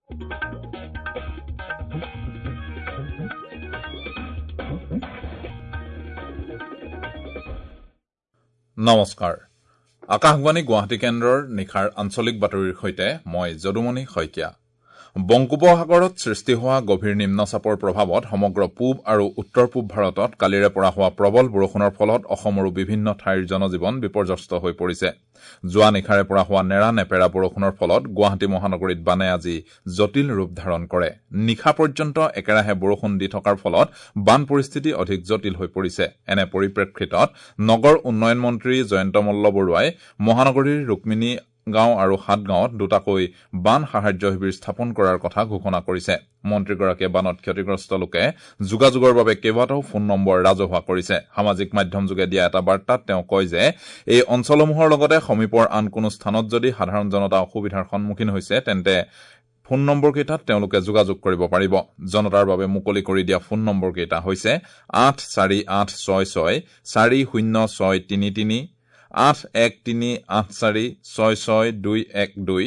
নমস্কাৰ, আকাশবাণী গুৱাহাটী কেন্দ্ৰৰ নিশাৰ আঞ্চলিক বাতৰিৰ সৈতে মই যদুমণি শইকীয়া। বংগোপসাগৰত সৃষ্টি হোৱা গভীৰ নিম্নচাপৰ প্ৰভাৱত সমগ্ৰ পূব আৰু উত্তৰ পূব ভাৰতত কালিৰে পৰা হোৱা প্ৰবল বৰষুণৰ ফলত অসমৰো বিভিন্ন ঠাইৰ জনজীৱন বিপৰ্যস্ত হৈ পৰিছে। যোৱা নিশাৰে পৰা হোৱা নেৰা নেপেৰা বৰষুণৰ ফলত গুৱাহাটী মহানগৰীত বানে আজি জটিল ৰূপ ধাৰণ কৰে। নিশা পৰ্যন্ত একেৰাহে বৰষুণ দি থকাৰ ফলত বান পৰিস্থিতি অধিক জটিল হৈ পৰিছে। এনে পৰিপ্ৰেক্ষিতত নগৰ উন্নয়ন মন্ত্ৰী জয়ন্ত মল্ল বৰুৱাই মহানগৰীৰ ৰুক্মিণী গাঁও আৰু সাতগাঁৱত দুটাকৈ বান সাহায্য শিবিৰ স্থাপন কৰাৰ কথা ঘোষণা কৰিছে। মন্ত্ৰীগৰাকীয়ে বানত ক্ষতিগ্ৰস্ত লোকে যোগাযোগৰ বাবে কেইবাটাও ফোন নম্বৰ ৰাজহুৱা কৰিছে। সামাজিক মাধ্যমযোগে দিয়া এটা বাৰ্তাত তেওঁ কয় যে এই অঞ্চলসমূহৰ লগতে সমীপৰ আন কোনো স্থানত যদি সাধাৰণ জনতা অসুবিধাৰ সন্মুখীন হৈছে তেন্তে ফোন নম্বৰকেইটাত তেওঁলোকে যোগাযোগ কৰিব পাৰিব। জনতাৰ বাবে মুকলি কৰি দিয়া ফোন নম্বৰকেইটা হৈছে ৮৪৮৬৬ ৪০৬৩৩, ৮১৩৮৪ ৬৬২১২,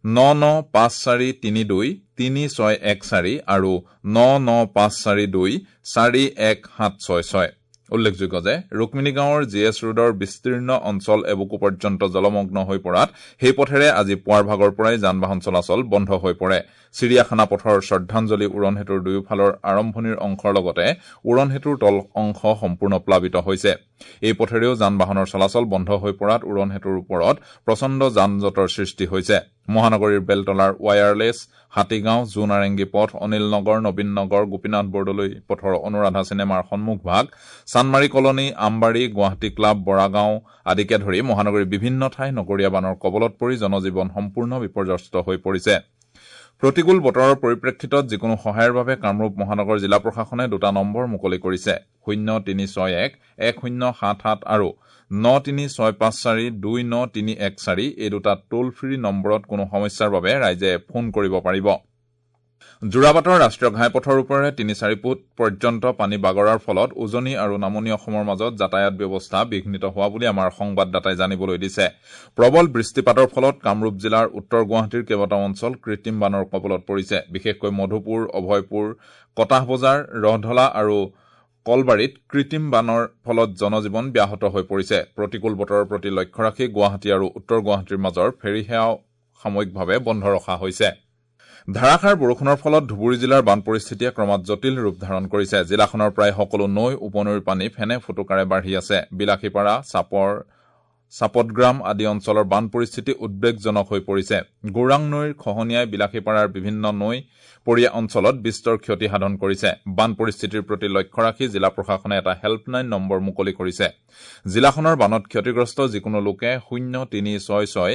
৯৯৫৪৩২ ৩৬১৪ আৰু ৯৯৫৪২ ৪১৭৬৬। উল্লেখযোগ্য যে ৰুক্মিণী গাঁৱৰ জি এছ ৰোডৰ বিস্তীৰ্ণ অঞ্চল এবুকু পৰ্যন্ত জলমগ্ন হৈ পৰাত সেই পথেৰে আজি পুৱাৰ ভাগৰ পৰাই যান বাহন চলাচল বন্ধ হৈ পৰে। চিৰিয়াখানা পথৰ শ্ৰদ্ধাঞ্জলি উৰণ সেতুৰ দুয়োফালৰ আৰম্ভণিৰ অংশৰ লগতে উৰণ সেতুৰ তল অংশ সম্পূৰ্ণ প্লাবিত হৈছে। এই পথেৰেও যান বাহনৰ চলাচল বন্ধ হৈ পৰাত উৰণ সেতুৰ ওপৰত প্ৰচণ্ড যান জঁটৰ সৃষ্টি হৈছে। মহানগৰীৰ বেলতলাৰ ৱায়াৰলেছ, হাতীগাঁও, জোনাৰেংগী পথ, অনিল নগৰ, নবীন নগৰ, গোপীনাথ বৰদলৈ পথৰ অনুৰাধা চিনেমাৰ সন্মুখভাগ, চানমাৰী কলনী, আমবাৰী, গুৱাহাটী ক্লাব, বৰাগাঁও আদিকে ধৰি মহানগৰীৰ বিভিন্ন ঠাই নগৰীয়া বানৰ কবলত পৰি জনজীৱন সম্পূৰ্ণ বিপৰ্যস্ত হৈ পৰিছে। প্ৰতিকূল বতৰৰ পৰিপ্ৰেক্ষিতত যিকোনো সহায়ৰ বাবে কামৰূপ মহানগৰ জিলা প্ৰশাসনে দুটা নম্বৰ মুকলি কৰিছে। ০৩৬১ ১০৭৭ আৰু ৯৩৬৫৪ ২৯৩১৪ এই দুটা টোল ফ্ৰী নম্বৰত কোনো সমস্যাৰ বাবে ৰাইজে ফোন কৰিব পাৰিব। যোৰাবাটৰ ৰাষ্ট্ৰীয় ঘাইপথৰ ওপৰেৰে ৩-৪ ফুট পৰ্যন্ত পানী বাগৰাৰ ফলত উজনি আৰু নামনি অসমৰ মাজত যাতায়াত ব্যৱস্থা বিঘ্নিত হোৱা বুলি আমাৰ সংবাদদাতাই জানিবলৈ দিছে। প্ৰবল বৃষ্টিপাতৰ ফলত কামৰূপ জিলাৰ উত্তৰ গুৱাহাটীৰ কেইবাটাও অঞ্চল কৃত্ৰিম বানৰ কবলত পৰিছে। বিশেষকৈ মধুপুৰ, অভয়পুৰ, কটাহ বজাৰ, ৰহঢলা আৰু কলবাৰীত কৃত্ৰিম বানৰ ফলত জনজীৱন ব্যাহত হৈ পৰিছে। প্ৰতিকূল বতৰৰ প্ৰতি লক্ষ্য ৰাখি গুৱাহাটী আৰু উত্তৰ গুৱাহাটীৰ মাজৰ ফেৰী সেৱাও সাময়িকভাৱে বন্ধ ৰখা হৈছে। ধাৰাসাৰ বৰষুণৰ ফলত ধুবুৰী জিলাৰ বান পৰিস্থিতিয়ে ক্ৰমাৎ জটিল ৰূপ ধাৰণ কৰিছে। জিলাখনৰ প্ৰায় সকলো নৈ উপনৈৰ পানী ফেনে ফুটুকাৰে বাঢ়ি আছে। বিলাসীপাৰা, চাপৰ, চাপতগ্ৰাম আদি অঞ্চলৰ বান পৰিস্থিতি উদ্বেগজনক হৈ পৰিছে। গৌৰাং নৈৰ খহনীয়াই বিলাসীপাৰাৰ বিভিন্ন নৈ পৰীয়া অঞ্চলত বিস্তৰ ক্ষতি সাধন কৰিছে। বান পৰিস্থিতিৰ প্ৰতি লক্ষ্য ৰাখি জিলা প্ৰশাসনে এটা হেল্পলাইন নম্বৰ মুকলি কৰিছে। জিলাখনৰ বানত ক্ষতিগ্ৰস্ত যিকোনো লোকে ০৩৬৬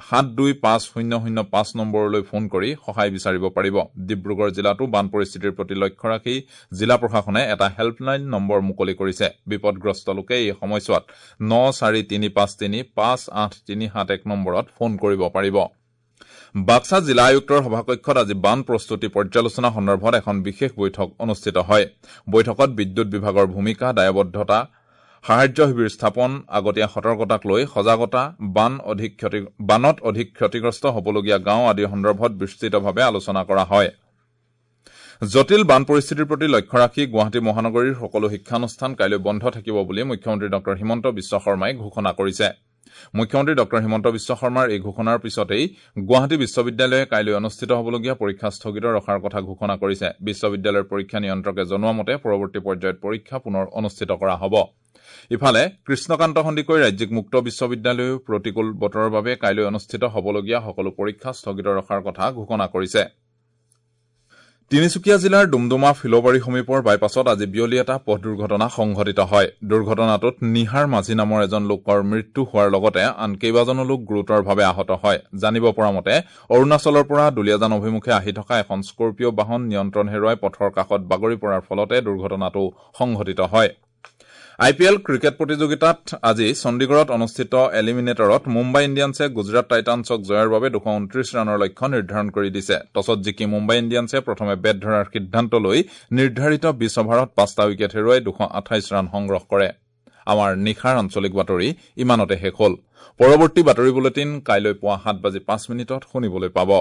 ৭২৫০০৫ নম্বৰলৈ ফোন কৰি সহায় বিচাৰিব পাৰিব। ডিব্ৰুগড় জিলাতো বান পৰিস্থিতিৰ প্ৰতি লক্ষ্য ৰাখি জিলা প্ৰশাসনে এটা হেল্পলাইন নম্বৰ মুকলি কৰিছে। বিপদগ্ৰস্ত লোকে এই সময়ছোৱাত ৯৪৩৫৩ ৫৮৩৭১ নম্বৰত ফোন কৰিব পাৰিব। বাক্সা জিলা আয়ুক্তৰ সভাকক্ষত আজি বান প্ৰস্তুতি পৰ্যালোচনা সন্দৰ্ভত এখন বিশেষ বৈঠক অনুষ্ঠিত হয়। বৈঠকত বিদ্যুৎ বিভাগৰ ভূমিকা, দায়বদ্ধতা, সাহায্য শিবিৰ স্থাপন, আগতীয়া সতৰ্কতাক লৈ সজাগতা, বানত অধিক ক্ষতিগ্ৰস্ত হ'বলগীয়া গাঁও আদি সন্দৰ্ভত বিস্তৃতভাৱে আলোচনা কৰা হয়। জটিল বান পৰিস্থিতিৰ প্ৰতি লক্ষ্য ৰাখি গুৱাহাটী মহানগৰীৰ সকলো শিক্ষানুষ্ঠান কাইলৈ বন্ধ থাকিব বুলি মুখ্যমন্ত্ৰী ডঃ হিমন্ত বিশ্ব শৰ্মাই ঘোষণা কৰিছে। মুখ্যমন্ত্ৰী ডঃ হিমন্ত বিশ্ব শৰ্মাৰ এই ঘোষণাৰ পিছতেই গুৱাহাটী বিশ্ববিদ্যালয়ে কাইলৈ অনুষ্ঠিত হ'বলগীয়া পৰীক্ষা স্থগিত ৰখাৰ কথা ঘোষণা কৰিছে। বিশ্ববিদ্যালয়ৰ পৰীক্ষা নিয়ন্ত্ৰকে জনোৱা মতে পৰৱৰ্তী পৰ্যায়ত পৰীক্ষা পুনৰ অনুষ্ঠিত কৰা হ'ব। ইফালে কৃষ্ণকান্ত সন্দিকৈ ৰাজ্যিক মুক্ত বিশ্ববিদ্যালয়েও প্ৰতিকূল বতৰৰ বাবে কাইলৈ অনুষ্ঠিত হ'বলগীয়া সকলো পৰীক্ষা স্থগিত ৰখাৰ কথা ঘোষণা কৰিছে। তিনিচুকীয়া জিলাৰ ডুমডুমা ফিলবাৰী সমীপৰ বাইপাছত আজি বিয়লি এটা পথ দুৰ্ঘটনা সংঘটিত হয়। দুৰ্ঘটনাটোত নিহাৰ মাঝি নামৰ এজন লোকৰ মৃত্যু হোৱাৰ লগতে আন কেইবাজনো লোক গুৰুতৰভাৱে আহত হয়। জানিব পৰা মতে অৰুণাচলৰ পৰা দুলীয়াজান অভিমুখে আহি থকা এখন স্কৰপিঅ' বাহন নিয়ন্ত্ৰণ হেৰুৱাই পথৰ কাষত বাগৰি পৰাৰ ফলতে দুৰ্ঘটনাটো সংঘটিত হয়। আই পি এল ক্ৰিকেট প্ৰতিযোগিতাত আজি চণ্ডীগড়ত অনুষ্ঠিত এলিমিনেটৰত মুম্বাই ইণ্ডিয়ানছে গুজৰাট টাইটানছক জয়ৰ বাবে 229 ৰানৰ লক্ষ্য নিৰ্ধাৰণ কৰি দিছে। টছত জিকি মুম্বাই ইণ্ডিয়ানছে প্ৰথমে বেট ধৰাৰ সিদ্ধান্ত লৈ নিৰ্ধাৰিত 20 অভাৰত 5টা উইকেট হেৰুৱাই 228 ৰান সংগ্ৰহ কৰে। আমাৰ নিশাৰ আঞ্চলিক বাতৰি ইমানতে শেষ হ'ল। পৰৱৰ্তী বাতৰি বুলেটিন কাইলৈ পুৱা 7:05 শুনিবলৈ পাব।